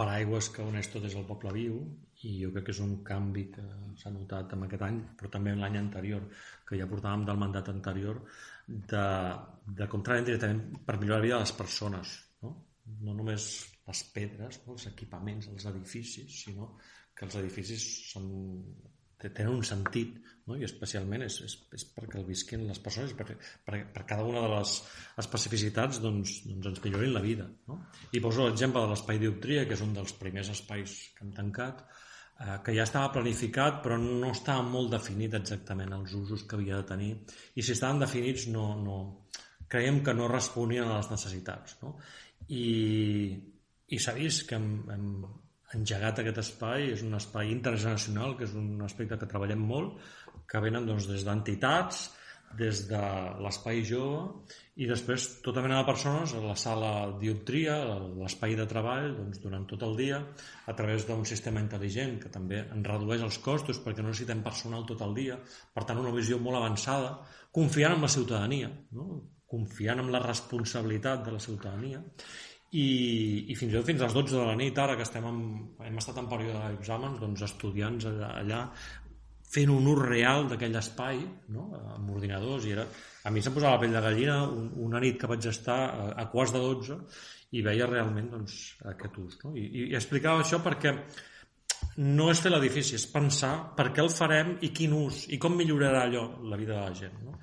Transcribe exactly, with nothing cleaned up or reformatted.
paraigües que uneix tot és el Poble Viu, i jo crec que és un canvi que s'ha notat en aquest any, però també l'any anterior, que ja portàvem del mandat anterior, de, de com treballen directament per millorar la vida de les persones, no, no només les pedres, no? Els equipaments, els edificis, sinó que els edificis són, tenen un sentit, no? I especialment és, és, és perquè el visquin les persones, per, per, per cada una de les especificitats doncs, doncs ens millorin la vida, no? I poso l'exemple de l'espai Dioptria, que és un dels primers espais que hem tancat, eh, que ja estava planificat però no estava molt definit exactament els usos que havia de tenir, i si estaven definits no, no, creiem que no responien a les necessitats, no? I, i s'ha vist que hem, hem engegat aquest espai, és un espai intergeneracional, que és un aspecte que treballem molt, que venen doncs, des d'entitats, des de l'espai jove, i després tota mena de persones a la sala Dioptria, l'espai de treball, doncs, durant tot el dia, a través d'un sistema intel·ligent que també en redueix els costos perquè no necessitem personal tot el dia, per tant una visió molt avançada, confiant en la ciutadania, no? Confiant en la responsabilitat de la ciutadania. I, i fins i tot fins a les dotze de la nit, ara que estem en, hem estat en període d'exàmens, doncs estudiants allà, allà fent un ús real d'aquell espai, no? Amb ordinadors, i era, a mi se'm posava la pell de gallina un, una nit que vaig estar a, a quarts de dotze i veia realment doncs, aquest ús, no? I, i explicava això perquè no és fer l'edifici, és pensar per què el farem i quin ús, i com millorarà allò la vida de la gent, no?